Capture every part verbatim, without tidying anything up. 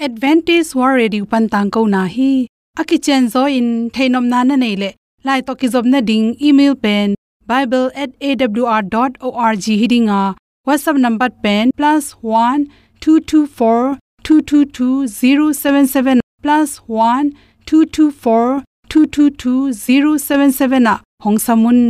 Adventist World Radio pan tangkona hi. A kicianzaw in theihnopna na neih leh, lai tawh kizopna ding email pen bible at A W R dot org hi ding a, WhatsApp number pen plus one two two four two two two zero seven seven, plus one two two four two two two zero seven seven ah hong sam un.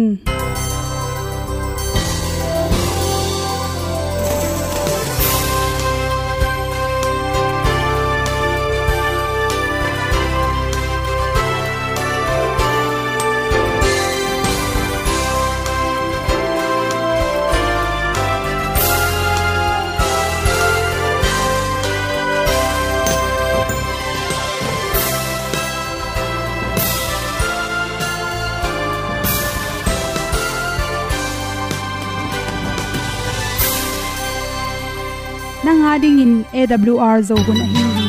Nang a dingin A W R Zo hun ahi hi.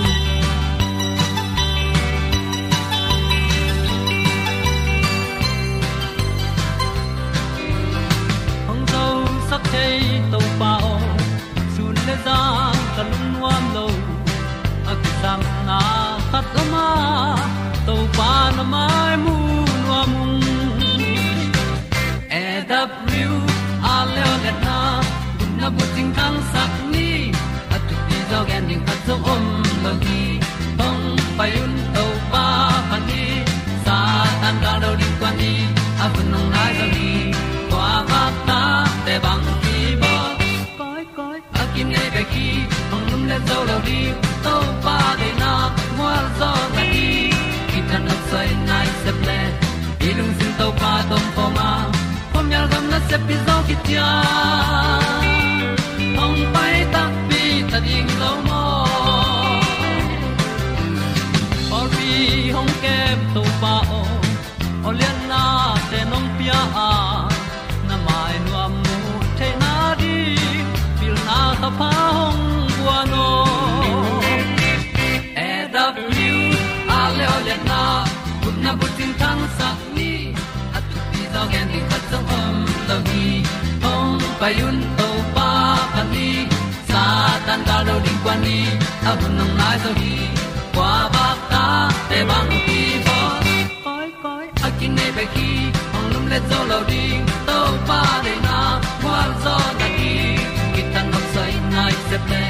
Hong zosak thei Topa aw, sun le zan ka lungnuam lo. A kisapna khat om a, Topa na mai mu nuam ung. A W R leo letna, gupna bucing thangsak ni. A thupi zaw gen ding khat zong om lo hi. Hong pai un Topa phat ni. Satan gal do ding kuan ni. A hun hong nai zaw hi. Kua vakta te bang hi baw. Koi koi a kinei bek hi, hong lum le zo lo ding. Topa deihna mual zaw na hi. Kithat nopsai nai sep le, i lungsim Topa tawh om khawm a, khuamial gam nasep pi zaw kician. Hong pai takpi ta ding lo maw. Pawlpi hong kem Topa aw, aw lianna te nong pia a, na mai nuam mu theihna ding, pilna thapha hong guan aw. A W R leo letna, gupna bucing thangsak ni. A thupi zaw gen ding khat zong om lo hi. Hong pai un Topa phat ni. Satan gal do ding kuan ni. A hun hong nai zaw hi. Kua vakta te bang hi baw. Koi koi a kinei bek hi, hong lum le zo lo ding. Topa deihna mual zaw na hi. Kithat nopsai nai sep le,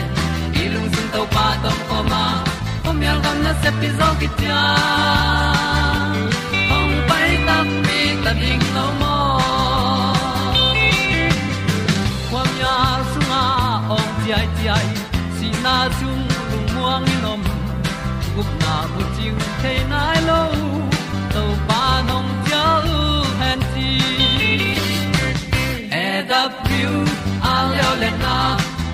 i lungsim Topa tawh om khawm a, khuamial gam nasep pi zaw kician. Hong pai takpi ta ding lo maw. Khuamial sungah awng ciaiciai, sihna sung lungmuang in om. Gupna bucing thei nai lo, Topa nong cial hen ci. A W R leo letna,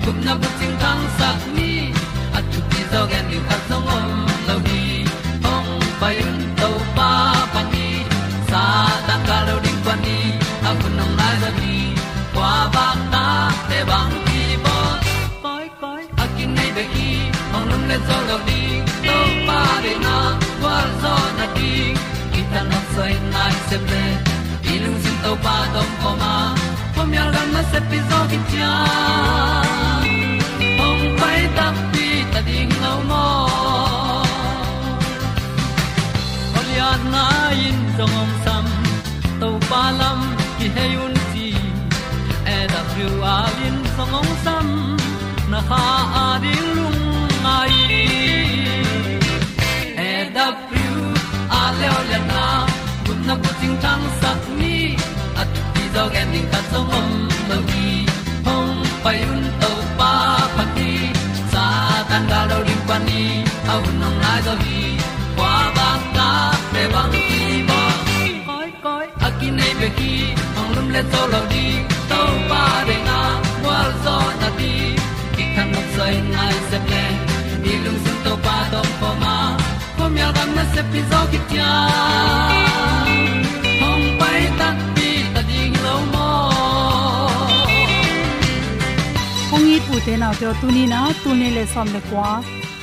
gupna bucing thangsak ni. A thupi zaw gen ding khat zong om lo hi. Hong pai un Topa phat ni. Satan gal do ding kuan ni. A hun hong nai zaw hi. Kua vakta te bang hi baw. Koi koi a kinei bek hi, hong lum le zo lo ding. Topa deihna gualzawhna ding, kithat nopsai nai sep le, i lungsim Topa tawh om khawm a, khuamial gam nasep pi zaw kician. Hong pai takpi ta ding lo maw. Aw liatna in zong hong sam, Topa lam kihei un ci. A W R in zong hong sam, na kha a ding lungngai. A W R leo liatna, gupna bucing thangsak ni. A thupi zaw gen ding khat zong om lo hi. Hong pai un Topa phat ni. Satan gal do ding kuan ni. A hun hong nai zaw hi. Kua bang ta te bang hi baw. Koi koi a kinei bek hi, hong lum le zo lo ding. Topa deihna gualzawhna ding, kithat nopsai nai sep le, i lungsim Topa tawh om khawm a, khuamial gam nasep pi zaw kician. Hong pai takpi ta ding lo maw. Kong it u te nau te aw, tuni in a, tul nih le sawm le kua,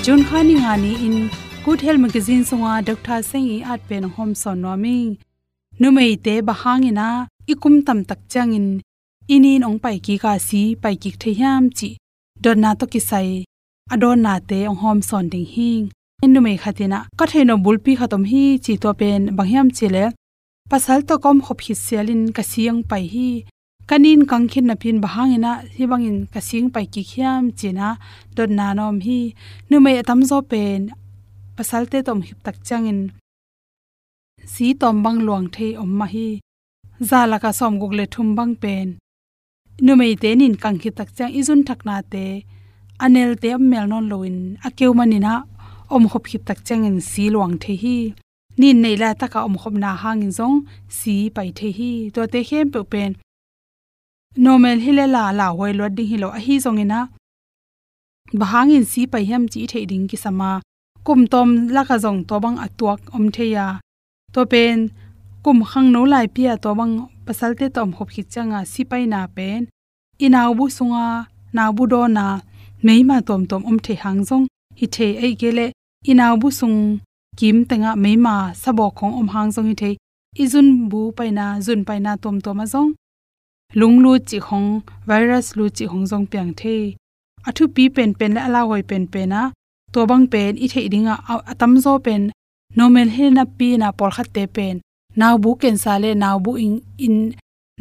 June kha ni nga ni-in Good Health Magazine sunga Doctor Seng i at pen hong hawmsawn nuam ing. Numeite bang hangin a i kum tamtak ciangin i ni in hong pai kik a, si pai kik thei hiam cih dotna tawh kisai a dawnnate hong hawmsawn ding hi. Numei khat in ah, ka theih nop bulpi khat om hi ci, tua pen bang hiam cih leh, pasal tawh ka omkhop khit sialin ka si hong pai hi. Ka nin kang khit napi-in bang hangin ah hih bangin ka si hong pai kik hiam ci-in ah dotna na om hi. Numei a tamzaw pen pasalte tawh omkhop tak ciangin si tawm bang luang thei om mah hi. Za lakah sawmguk le thum bang pen numeite nin kang khit tak ciang i zun thaknate, a nelte a om mel nawn loin a keu manin ah omkhop khit tak ciangin si luang thei hi. Nin neih laitakah omkhopna hangin zong si pai thei hi. Tuate khempeuh pen normal hi lel a lauhuai luat ding hi lo, ahi zongin ah bang hangin si pai hiam cih i theih ding kisam a, kum tawm lakah zong tua bang a tuak om thei a, tua pen kum khangno laipi-a tua bang pasalte tawh omkhop khit cianga si paina pen i naubu sunga, naubu dawna meima tuamtuam om thei hang zong hi thei, ahih kei leh i naubu sung kim tengah meima sabawk hong om hang zong hi thei. I zunbu paina, zun paina tuamtuam ah zong lung lut cih hong, virus lut cih hong zong piang thei. A thupi penpen le a lauhuai penpen ah tua bang pen i theih dingah a, a tamzaw pen normal hi napi-in ah pawlkhatte pen naubu cancer le naubu in, in,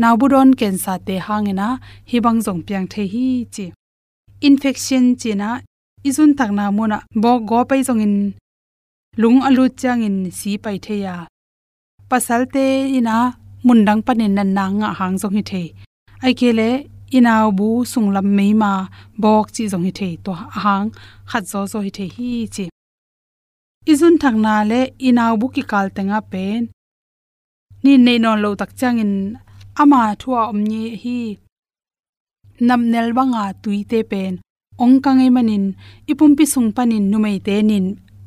naubu dawn cancer-te hangin ah hih bang zong piang thei hi ci. Infection ci-in ah i zun thakna munah bawk gawp ahi zongin lung a lut ciangin si pai thei a, pasalte in ah mundang panin natna ngah hang zong hi thei. Ahih kei leh i naubu sunglam meima bawk cih zong hi thei, tua a hang khat zawzaw hi thei hi ci. I zun thakna le i naubu kikal tengah pen nin neih nawn loh tak ciangin ama thu-a om ngei hi. Napnel banga tuite pen ong kang ahih manin i pumpi sung panin numeite nin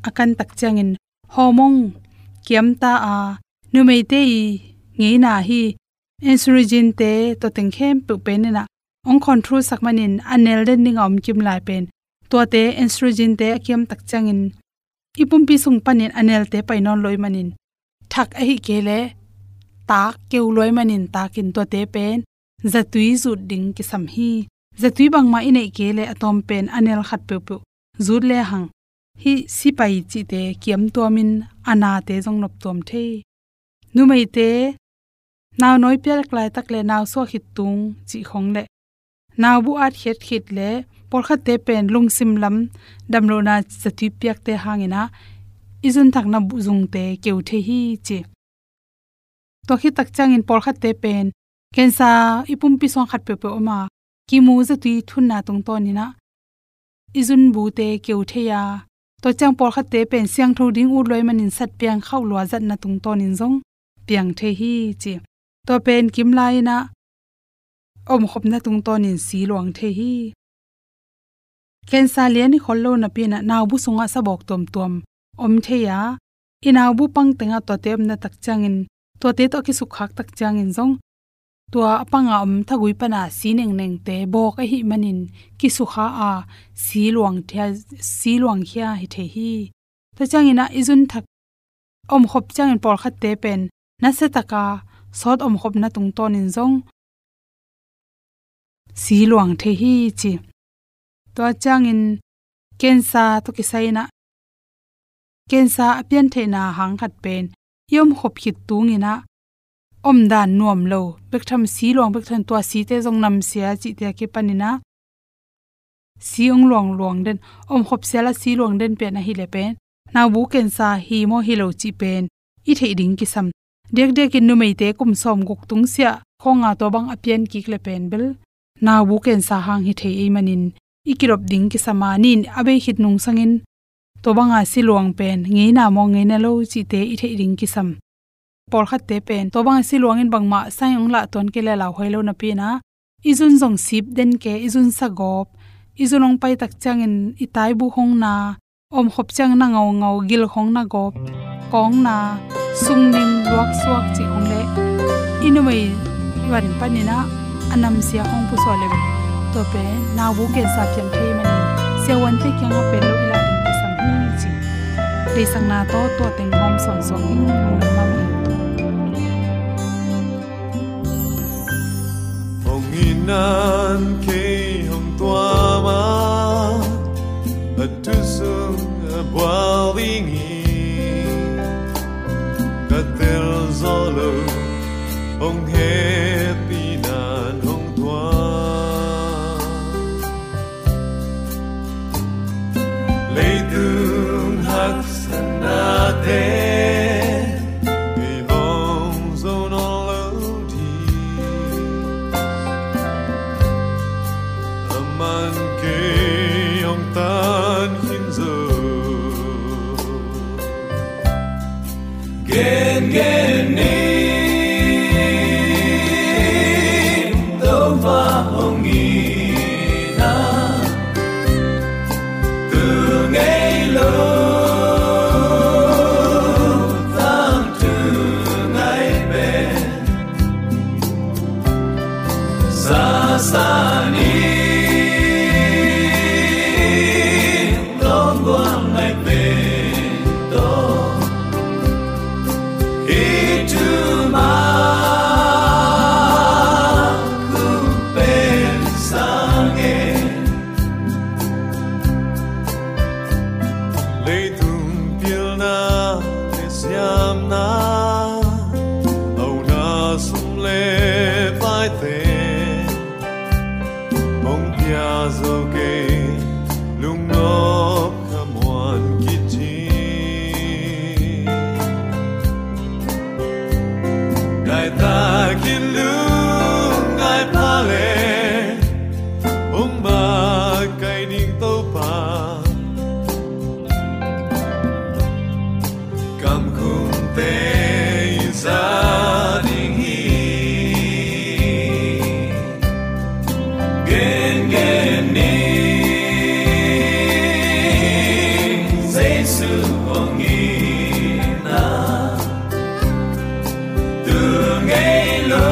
a kan tak ciangin hormone kiamta a, numeite i ngeina hi estrogen-te tua teng khempeuh pen in ah ong control sak manin a nel den dinga om kim lai pen tuate estrogen-te a kiam tak ciangin i pumpi sung panin a nelte pai nawn lo ahih manin thak ahih kei leh tak keu lo ahih manin takin tuate pen zatui zut ding kisam hi. Zatui bangmah i neih kei leh a tawm pen a nel khat peuhpeuh zut lehang hih si pai cihte kiamtuamin a nate zong noptuam thei. Numeite nau nawi piak laitak le nau suah khit tung cih khong le naubu at khiat khit le pawlkhatte pen lungsim lam damlohna zatui piakte hangin ah i zun thakna bu zungte keu thei hi ci. Tua khit tak ciangin pawlkhatte pen cancer i pumpi sung khat peuhpeuh om a, kimu zatui thunna tungtawnin ah i zunbute keu thei a, tua ciang pawlkhatte pen siangtho ding ut lo ahih manin sat piang khauh lua zatna tungtawnin zong piang thei hi ci. Tua pen kim lai-in ah omkhopna tungtawnin si luang thei hi. Cancer lian i khol lo napi-in ah naubu sungah sabawk tuamtuam om thei a, i naubu pang tengah tuate omna tak ciangin, tuate tawh a kisukkhak tak ciangin zong tua a panga om thagui pana si nengnengte bawk ahih manin kisukha a, si luang thia, si luang khia hi thei hi. Tua ciangin ah i zun thak omkhop ciangin pawlkhatte pen nasiataka sawt omkhopna tungtawnin zong si luang thei hi ci. Tua ciangin cancer tawh kisai-in ah cancer a pian theihna hang khat pen i omkhop khit tungin ah omdan nuam lo bek tham, si luang bek tham, tua site zong namsia cihte a kipanin ah si ong luang luang den, omkhop sial a si luang den pen ahih leh pen naubu cancer hi maw hi lo cih pen i theih ding kisam. Diakdiakin numeite kum sawmguk tungsiah khawnga tua bang a pian kik leh pen bel naubu cancer hang hi thei ahih manin i kidop ding kisam a, nin a bei khit nungsangin tua banga si luang pen ngeina maw ngeina lo cihte i theih ding kisam. Pawlkhatte pen tua banga si luangin bangmah sign ong lah tuan kei leh lauhuai lo napi-in ah i zun zong sip den kei, i zun sa gawp, i zun ong pai tak ciangin i taibu hong na, omkhop ciang na ngaungau, gil khong na gawp, kawng na, sungnim, luaksuak cih khong le i numei van panin ah a namsia khong pusuah le tua pen naubu cancer piang thei manin siavuante kiangah pen lo i lah ding kisam hi ci. Deihsakna tawh tua teng hawm sawnsawn ding lungdam mah hi. Hong in nan kei hong tuam a, dingin ka tel zawh lo, hong hehpihna in hong thuak. Leitung haksatnate i hong zo nawn lo ding, aman kei hong tan khin zo. Gengen ni, Topa hong itna, tu ngei lo, tangthu ngai pen, sasa ni, lawng gual ngai pen tawh, i thu mah khup pen sang e. Leitung pilna le siamna, hauna sum le paite, hong pia zo kei, lungnop khamuan kicing. Ngai takin lungngai pha le, hong makaih ding Topa, kamkhumte i za ding hi. Gengen ni, Jesu hong itna, tu ngei lo,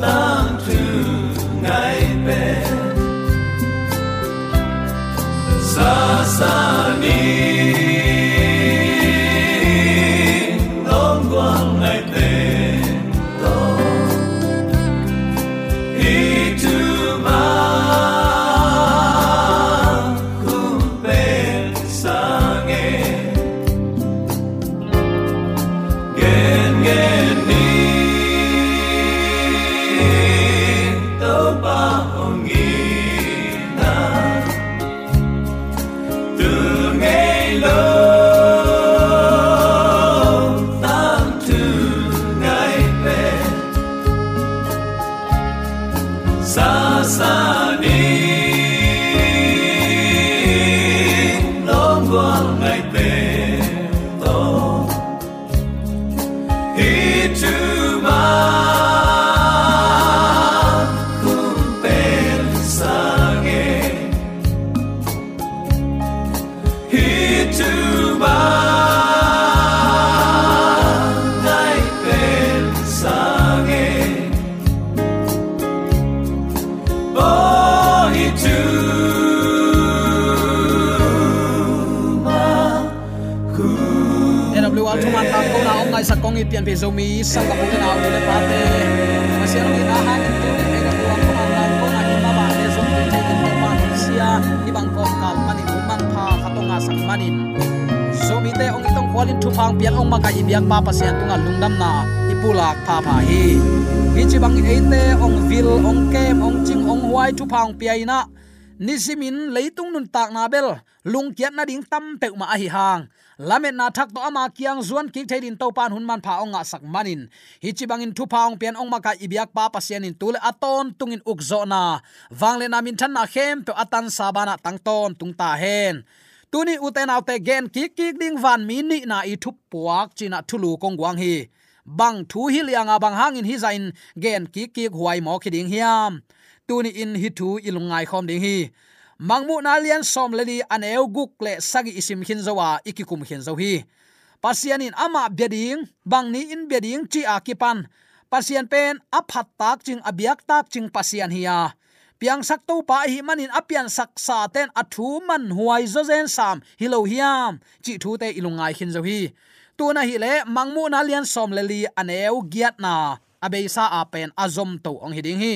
tangthu ngai pen, sasa ni, lawng gual ngai pen tawh, i thu mah khup pen sang e. Gengen ni, Topa hong itna, tu ngei lo, tangthu ngai pen, sasa ni, lawng gual ngai pen tawh, i thu mah khup pen sang e. I thu mah ngai pen sang e. Oh, i thu mah. A W R thuman tangkona hong ngaihsak kong it pianpih Zomi sanggamnu le nau, nu le pate, Pasian hong itna hangin tu A W R thuman tangkona i mah bang le zong tu thei in Topa hong sia, i bang kawmkal manin hun manpha khat hong ngahsak manin, Zomite hong it hong khualin thupha hong pian hong makaih i biakpa Pasian tungah lungdamna i pulak phapha hi. Hih ci bangin eite hong vil, hong kem, hong cing, hong huai, thupha hong pia in ah, nisimin leitung nuntakna bel lungkiat nading tam peuhmah ahi hang, lametna thak tawh ama kiang zuan kik thei dingin Topa in hun manpha hong ngahsak manin, hih ci bangin thupha hong pian hong makaih i biakpa Pasian in tu le a tawntungin ukzawhna, vangliatna, minthanna khempeuh a tansa banah tang tawntung ta hen. Tuni ute naute, gen kikkik ding vanmi nihna i thupuak ci-in ah thulu kong guang hi. Bang thu hi lianga bang hangin hih zahin gen kikkik huai mawk hi ding hiam? Tuni-in hih thu i lungngai khawm ding hi. Mangmuhna lian sawm le li, a neu guk le sagih i sim khin zo a, i kikum khin zo hi. Pasian in amah bia ding, bang ni-in bia ding cih a kipan, Pasian pen a phat takcing, a biak takcing Pasian hi a, piangsak Topa ahih manin a piansak sate in a thu manhuai zawzen sam hi lo hiam cih thute i lungngai khin zo hi. Tun ahih leh Mangmuhna lian sawm le li, a neu giatna a beisa a pen a zomto hong hi ding hi.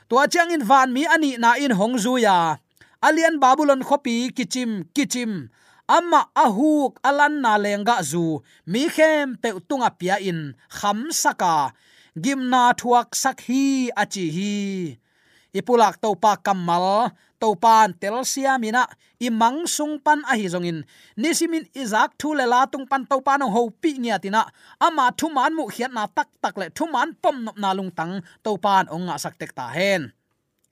Tua ciangin vanmi a nihna in hong zui a, a lian Babylon khuapi kicim kicim, amah a huk a lanna lenggahzu mi khempeuh tungah pia-in khamsak a, gimna thuaksak hi, a ci hi. I pulak Topa kammal, Topa in telsiam in ah, i mang sung pan ahi zongin, nisimin i zak thu le la tung pan Topa in hong hopih ngiat in ah, ama thuman muhkhiatna taktak le thuman pomnopna lungtang Topa in hong ngahsak tek ta hen.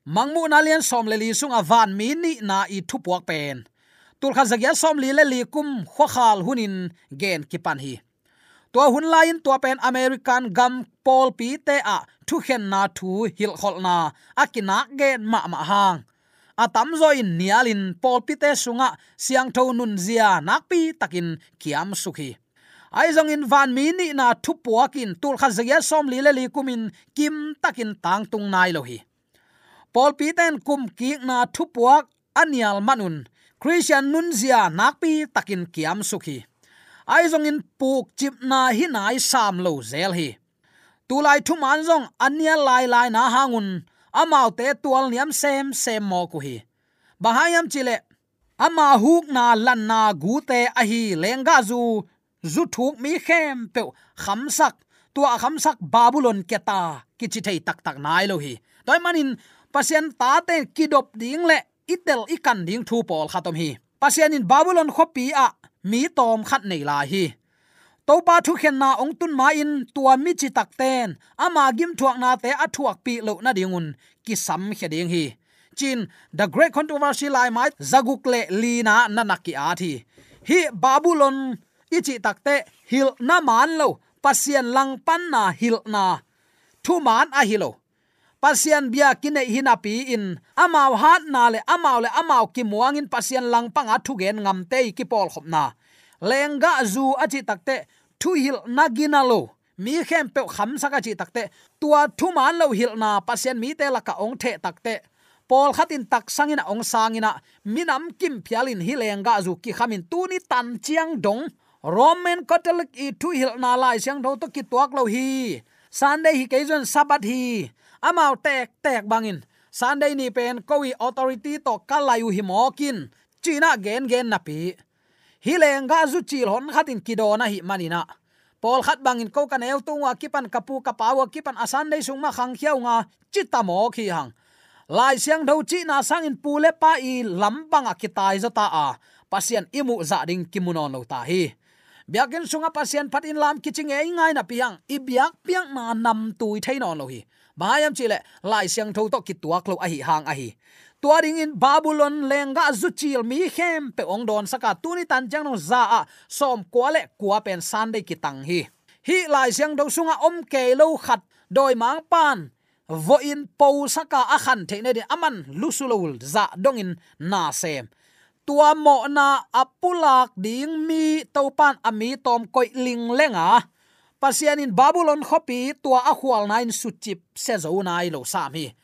Mangmuhna lian sawm le li sungah vanmi nihna i thupuak pen tulkhat zagiat sawm li le li kum khuakhal hunin gen kipan hi. Tua hun lai-in tua pen American gam pawlpite ah thukhenna thu hilhkholhna a kinak gen mahmah hang, a tamzaw in nialin pawlpite sungah siangtho nunzia nakpi takin kiamsuk hi. Ahi zongin vanmi nihna thupuak in tulkhat zagiat sawm li le li kumin kim takin tangtung nai lo hi. Pawlpite in kumkikna thupuak a nial manun Khristian nunzia nakpi takin kiamsuk hi. Ahi zongin pukcipna hi nai sam lo zel hi. Tulai thuman zong a nial lailai na hangun amaute tualniam semsem mawk uh hi. Bang hang hiam cihleh, ama hukna lanna gute ahi lenggahzu zu thuk mi khempeuh khamsak, tua a khamsak Babylon keta kici thei taktak nai lo hi. Tua ahih manin Pasian tate in kidop ding le i tel i kan ding thu pawlkhat om hi. Pasian in Babylon khuapi ah mi tawm khat nei lai hi. Topa thukhenna hong tun ma-in tua mi citakte in ama gimthuaknate a thuakpih loh nadingun kisamkhia ding hi, ci-in The Great Controversy laimai zaguk le lina na na ki-at hi. Hih Babylon i cih takteh hilhna man lo, Pasian langpanna hilhna thuman ahi lo. Pasian bia kineih hi napi-in amau hatna le amau le amau kimuangin Pasian langpanga thugen ngamte i kipawlkhopna, lenggahzu a cih takteh thuhilhna gina lo, mi khempeuh khamsak a cih takteh, tua thuman lo hilhna Pasian mite lakah hong theh takteh, pawlkhat in taksang in ah hong sang in ah, minam kim phialin hih lenggahzu kikhamin tuni tan ciang dong Roman Catholic i thuhilhna Lai Siangtho tawh kituak lo hi. Sunday hi kei zong Sabbath hi. Amau tektek bangin Sunday ni pen ko i authority tawh ka lai uh hi mawk in, ci-in ah gengen napi, hih lenggahzu cil hon khat in kidawn ahih manin ah, pawlkhat bangin ko ka neu tung uh a kipan, ka pu ka pa uh a kipan a Sunday sung mah khangkhia uh nga, ci ta mawk hi hang. Lai Siangtho cihna sangin pu le pa i lam bangah kitai zaw ta a, Pasian i muh zah ding kimu nawn lo ta hi. Biakinn sungah Pasian phatin lam kici ngeingai napi hang, i biakpiakna namtui thei nawn lo hi. Bang hang hiam cihleh Lai Siangtho tawh kituak lo ahih hang ahi. Tua dingin Babylon lenggahzu cil mi khempeuh hong dawnsak a, tuni tan ciang dong za ah sawmkua le kua pen Sunday kitang hi. Hih Lai Siangtho sungah om kei lo khat dawimangpa'n vawhin posak a, a khan theih nadin aman lusu lo zah dongin na sem. Tua mawhna a pulak ding mi Topa'n a mi tawm koih lingleng a, Pasian in Babylon khuapi tua a khualna in sucip sia zo nai lo sam hi.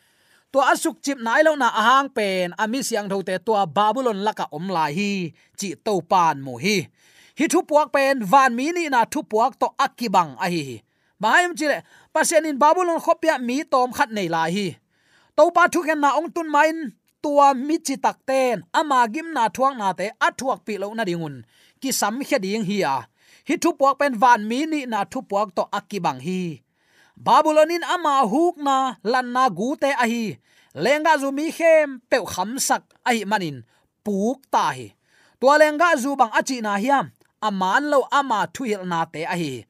Tua a sukcip nai lohna a hang pen a mi siangthote tua Babylon lakah om lai hi, cih Topa'n mu hi. Hih thupuak pen vanmi nihna thupuak tawh a kibang ahi hi. Bang hang hiam cihleh, Pasian in Babylon khuapi ah mi tawm khat nei lai hi. Topa thukhenna hong tun ma-in tua mi citakte'n ama gimna thuaknate a thuakpih loh nadingun kisamkhia ding hi a, hih thupuak pen vanmi nihna thupuak tawh a kibang hi. Babylon in ama hukna lanna gute ahi lenggahzu mi khempeuh khamsak ahih manin puk ta hi. Tua lenggahzu bang a cihna hiam? A man lo ama thuhilhnate ahi hi.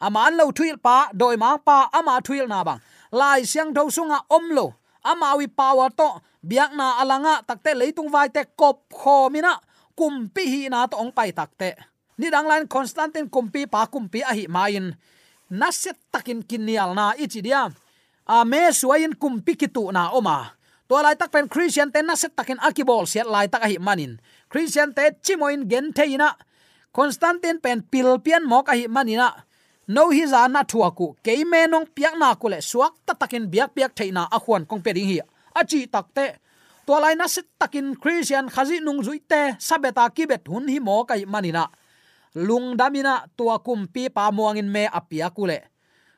A man lo thuhilhpa, dawimangpa ama thuhilhna bang Lai Siangtho sungah om lo, amau i power tawh biakna a langah takteh leitung vaite kopkhawm in ah kumpi hihna tawh hong pai takteh, nidang lai-in Constantine kumpipa kumpi ahih ma-in nasiatakin kinialna i ci diam, a, mesuai-in kumpi kituhna om a, tua laitak pen Khristiante nasiatakin a kibawlsiat laitak ahih manin, Khristiante cimawhin genthei in ah, Constantine pen pilpian mawk ahih manin ah, no hih zah na thuak uh, kei me nong piak nak uh leh suakta takin biakpiak theihna a khuan kong pia ding hi, a cih takteh, tua lai nasiatakin Khristian Khazih nungzuite sabeta kibet hun hi mawk ahih manin ah, lungdam in ah tua kumpipa muangin me a piak uh leh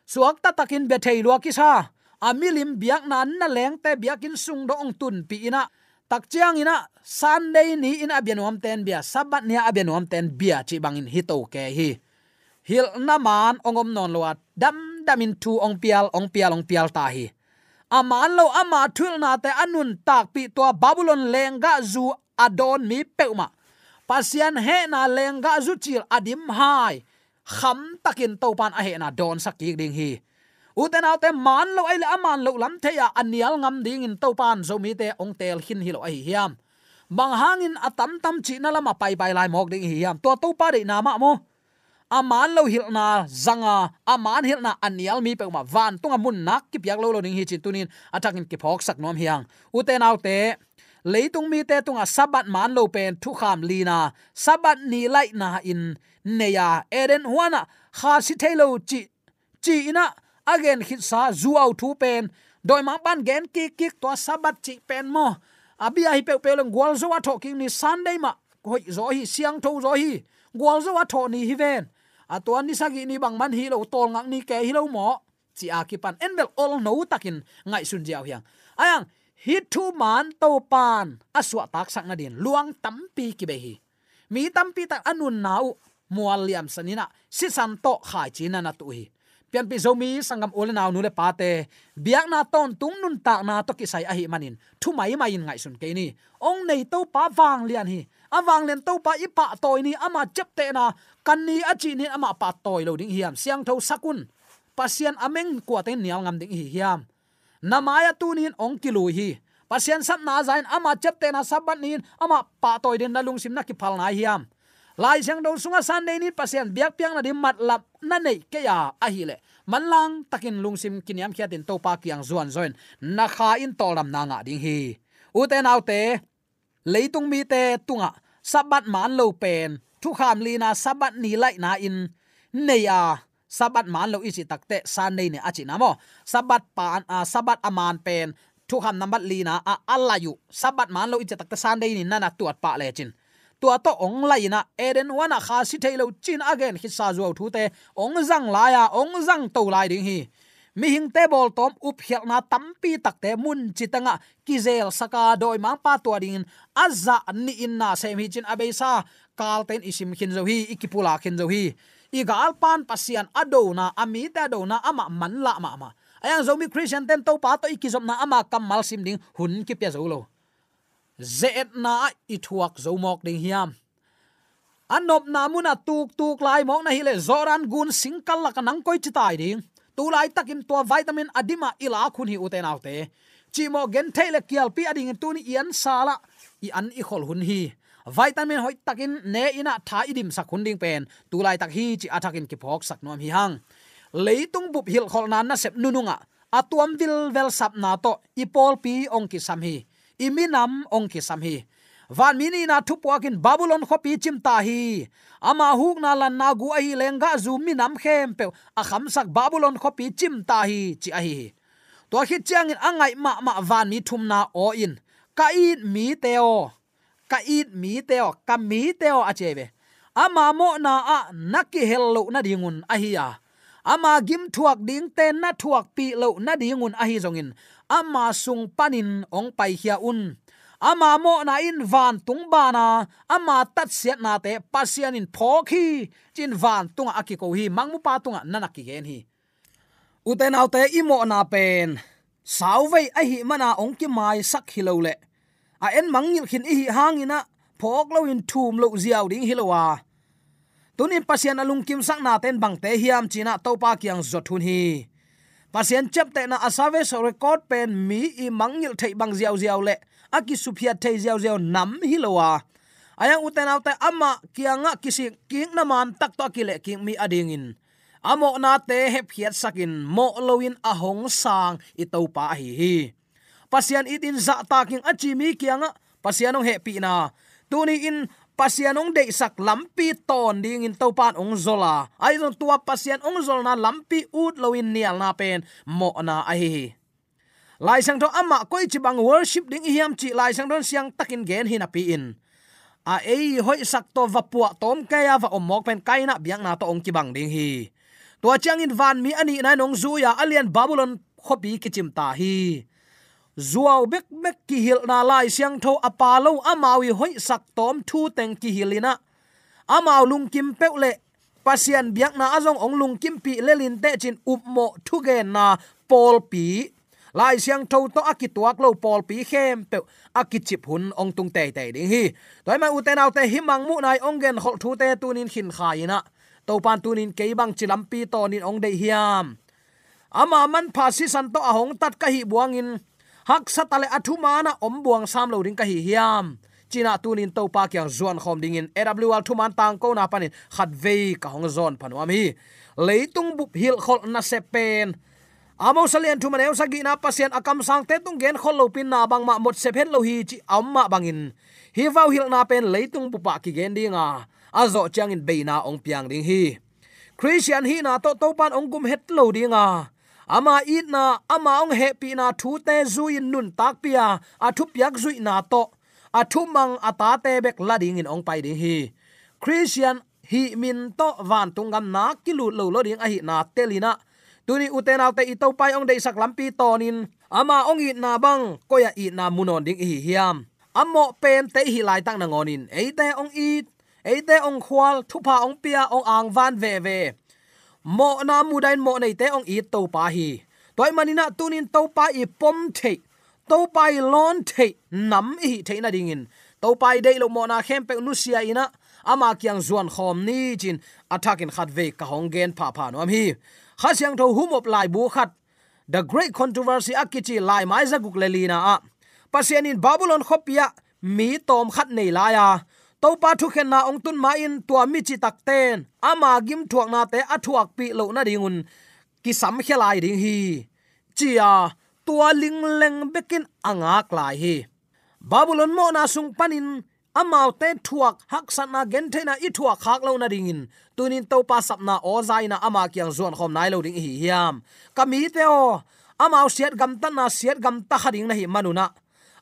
suakta takin bia thei lua kisa, a milim biakna na lengte biakinn sung dong hong tunpih in ah, Tak ciangin ah Sunday ni-in a bia nuamten bia, Sabbath ni-a a bia nuamten bia cih bangin hi to kei hi. Hilhna maan hong om nawn lo a, damdamin thu hong pial, hong pial, hong pial ta hi. A maan lo ama thuhilhnate a nuntakpih, tua Babylon lenggahzu a dawn mi peuhmah, Pasian hehna lenggahzu cil a dim hai khamtakin Topan a hehna dawnsak kik ding hi. Ute naute, maan lo ahih leh a maan loh lam thei-a a nial ngam dingin Topan Zomite hong teel khin hi lo ahi hiam? Bang hangin a tamtam cihna lamah paipai lai mawk ding ihi hiam? Tua Topa deihna mah maw? A maan lo hilhna zanga, a maan hilhna a nial mi peuhmah vantunga mun nak kipiak lo lo ding hi cih tuni-in a thakin kiphawksak nuam hi hang. Ute naute, leitung mite tungah Sabbath maan lo pen thukham lina, Sabbath ni laihna-in nei a, Eden huanah kha si thei lo cih, ci-in ah a gen khitsa zuau thu pen, dawimangpa'n gen kikkik, tua Sabbath cih pen maw, a bia hi peuhpeuh leng gualzo a thawh kik ni, Sunday mah hoih zaw hi, siangtho zaw hi, gualzo a thawh ni hi ven. A tua ni sagih ni bangman hi lo, tawlngak ni kei hi lo maw, ci-a kipan en bel olno takin ngaihsun ziau hi hang. Ahi hang, hih thu maan Topan a suahtaksak nadingin luang tampi kibei hi. Mi tampi tak a nunna uh mual liamsan in ah sisan tawh khaici na na tuh hi. Pianpih Zomi sanggam u le nau, nu le pate, biakna tawntung nuntakna tawh kisai ahih manin thu maimai in ngaihsun kei ni. Hong nei Topa vanglian hi. A vanglian Topa i pahtawi ni, ama ciaptehna kan ni a cih ni-in amah pahtawi lo ding hiam? Siangtho sak un. Pasian a meng kuate in nial ngam ding ihi hiam? Na mai-ah tuni-in hong kilui hi. Pasian sapna za-in ama ciaptehna Sabbath ni-in amah pahtawi dingin na lungsim na kiphal nai hiam? Lai Siangtho sungah Sunday ni-in Pasian biakpiakna ding matlap na neih kei a ahih leh, manlang takin lungsim kiniamkhiatin Topa kiang zuanzawin na kha in tawldamna ngah ding hi. Ute naute, leitung mite tungah Sabbath maan lo pen thukham lina, Sabbath ni laihna-in nei a, Sabbath maan lo i cih takteh Sunday ni a cihna maw? Sabbath pan, a, Sabbath a maan pen thukham nambat lina a, a laih uh, Sabbath maan lo i cih takteh Sunday ni na na tuat pah lecin, tua tawh hong laih in ah Eden huanah kha si thei lo ci-in a gen khitsa zuau thute hong zang lai a, hong zang to lai ding hi. Mihingte bawltawm upkhialhna tampi takte mun ci tengah kizelsak a, dawimangpa tua dingin a zah nihin na sem hi cin a beisa kalte in i sim khin zo hi, i kipulak khin zo hi. I galpa'n Pasian a dona, a mite a dona amah manlah mahmah. Ahi hang Zomi Khristiante'n Topa tawh i kizopna ama kammal sim ding hun kipia zo lo. Ze-etna ah i thuak zo mawk ding hiam? A nopna munah tuktuk lai mawk na hih leh Jordan gun singkal lakah nang koi ci tai ding? Tu laitakin tua vitamin a dimah i lak hun hi, ute naute. Cihmawh gentheih le kialpi a dingin tuni i an sal ah i an i khol hun hi. Vitamin hoihtakin ne in ah tha i dimsak hun ding pen tu laitak hi cih a thakin kiphawksak nuam hi hang. Leitung bup hilhkholhna nasep nunungah a tuam vilvel sapna tawh i pawlpi hong kisam hi. I minam hong kisam hi. Vanmi nihna thupuakin Babylon khuapi cimta hi. Ama hukna lanna gu ahi lenggahzu minam khempeuh a khamsak Babylon khuapi cimta hi, ci ahi hi. Tua khit ciangin a ngaih mahmah vanmi thumna aw in, "Ka it mite aw, ka it mite aw, ka mite aw," a ci ahi ve. Ama mawhna ah na kihel loh nadingun ahi a, ama gimthuak dingte na thuakpih loh nadingun ahi zongin ama sung panin hong paikhia un. Ama mawhna in vantung bana ama tatsiatnate Pasian in phawk hi, ci-in vantungah a kiko hi, mangmupa tungah na na kigen hi. Ute naute, i mawhna pen sauvei ahih mana hong kimaisak hi lo leh a en mangngilh khin i hih hangin ah phawk loin thum loh ziau ding hi lo a, tunin Pasian a lungkimsaknate in bangte hiam ci-in ah Topa kiang zot hun hi. Pasian ciaptehna a service record pen mi i mangngilh theih bang ziauziau le a kisuphiat thei ziauziau nam hi lo a, ahi hang ute naute, amah kiangah kisik kikna man tak tawh a kilehkik mi a dingin a mawhnate hepkhiatsakin mawh loin a hong sang i Topa ahi hi. Pasian itin zahtak ing a ci mi kiangah Pasian hong hehpihna, tuni-in Pasian hong deihsak lampi tawn dingin Topa in hong zol a, ahi zong tua Pasian hong zolna lampi ut loin nialna pen mawhna ahi hi. Lai Siangtho amah koici bang worship ding i hiam cih Lai Siangtho in siangtakin gen hi napi-in, a ei hoihsak tawh va puah tawm kei a va om mawk pen Kaina biakna tawh hong kibang ding hi. Tua ciangin vanmi a nihna in hong zui a, a lian Babylon khuapi kicimta hi. zuau bekbek kihilhna, Lai Siangtho a pha lo, amau i hoihsak tawm thu teng kihilh in ah, amau lungkim peuh le Pasian biakna ah zong hong lungkimpih lel inteh ci-in upmawh thugenna pawlpi, Lai Siangtho tawh a kituak lo pawlpi khempeuh a kicip hun hong tung teitei ding hi. Tua ahih manin ute naute, hih mangmuhna i hong genkholh thute tuni-in khinkhai in ah, Topa'n tuni-in kei bangci lampi tawnin hong deih hiam? Ama manpha sisan tawh a hong tat ka hih buangin, haksa ta leh a thuman ah om buang sam lo ding ka hi hiam, ci-in ah tuni-in Topa kiang zuankhawm dingin A W R thuman tangkona panin khatvei ka hong zawn pha nuam hi. Leitung bup hilhkholh nasep pen, Amos a lian thum a neu sagihna, Pasian a kamsangte tung genkholh lopi-in na bangmah mawksep het lo hi, ci a om mah bangin, hih vau hilhna pen leitung bup ah kigen ding a, a zawh ciangin beina hong piang ding hi. Khristian hihna tawh Topa'n hong gum het lo ding a, ama itna, ama hong hehpihna thute zui-in nuntakpih a, a thupiak zuihna tawh a thumang a tate bek la dingin hong pai ding hi. Khristian hih min tawh vantung gam nak kilut lo lua ding ahihna tel in ah, tuni ute naute, i Topa i hong deihsak lampi tawnin ama hong itna bang koi-ah itna mu nawn ding i hi hiam? A mawh pente i hih laitak nangawnin eite hong it, eite hong khual, thupha hong pia, hong angvan veve, mawhna mudahin mawh neite hong it Topa hi. Tua ahih manin ah tuni-in Topa i pom theih, Topa i lawn theih nam i hih theih nadingin, Topa i deih loh mawhna khempeuh nusia in ah, ama kiang zuankhawm ni, ci-in a thakin khatvei ka hong gen phapha nuam hi. Kha Siangtho humop laibu khat, The Great Controversy a kici laimai zaguk le lina ah, Pasian in Babylon khuapi ah mi tawmkhat nei lai a, Topa thukhenna hong tun ma-in tua mi citakte'n ama gimthuaknate a thuakpih loh nadingun kisamkhia lai ding hi, ci-a tua lingleng bekin a ngak lai hi. Babylon mawhna sung panin amaute thuak haksatna, gentheihna i thuak khak loh nadingin, tuni-in Topa sapna aw za in ah ama kiang zuankhawm nai lo ding i hi hiam? Ka mite aw, amau siat gamtatna siat gamta kha ding na hih manun ah,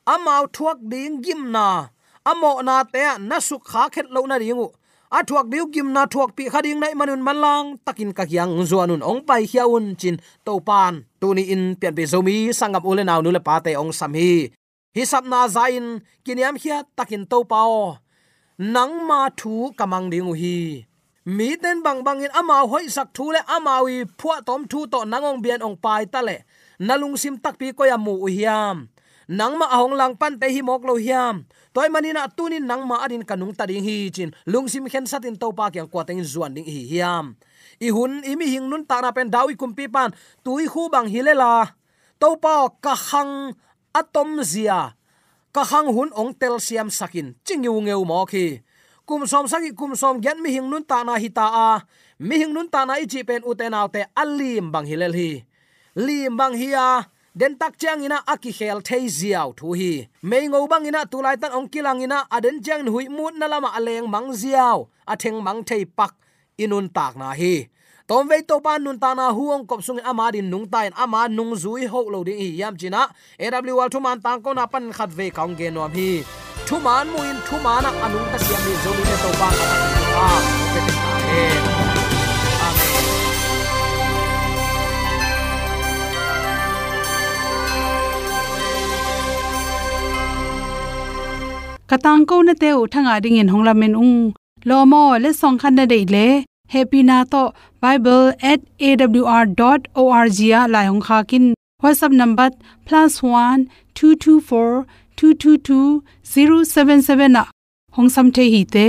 amau thuak ding gimna, a mawhnate ah na sukkhak het loh nading uh, a thuak ding uh gimna thuakpih kha ding na hih manun manlang takin ka kiang zuan un, hong paikhia un, ci-in Topa'n tuni-in pianpih Zomi sanggam u le nau, nu le pate hong sam hi. Hih sapna za-in kiniamkhiat takin, Topa aw, nangma thu ka mang ding uh hi. Mite'n bangbangin amau hoihsak thu le amau i phuahtawm thu tawh nang hong bia-in hong pai ta leh, na lungsim takpi koi-ah mu uh hiam? Nangmah a hong langpante hi mawk lo hiam? Tua ahih manin ah tuni-in nangma adingin ka nungta ding hi, ci-in lungsim khensatin Topa kiang kua tengin zuan ding i hi hiam? I hun, i mihing nuntakna pen David kumpipa'n tuikhu bang hi lel a, Topa aw, ka khang a tomzia, ka khang hun hong telsiamsak in, ci ngeungeu mawk hi. Kum sawmsagih, kum sawmgiat mihing nuntakna hi ta a, mihing nuntakna i cih pen, ute naute, a lim bang hi lel hi. Lim bang hi a, dentak ciangin ah a kikhel thei ziau thu hi. Meingo bangin ah tu laitan hong kilang in ah, a den ciangin huih mutna lamah a lengmang ziau, a thengmang thei pak i nuntakna hi. Tawmvei Topa nuntakna hu hong kop sungin ama adingin nungta in, ama nungzui hoh lo ding i hi hiam, ci-in ah A W R thuman tangkona panin khatvei ka hong gen nuam hi. Thuman mu-in thuman ah a nungta siam dingin Zomite Topa ka thangin a hong pia ta hen. Amen. Ka tangkonate uh thangah dingin hong lamen ung. Lawm aw, letsong khat na deih leh, hehpihna tawh bible at A W R dot O R G ah lai hong khak in. WhatsApp number plus one two two four two two two zero seven seven ah hong sam thei hi te.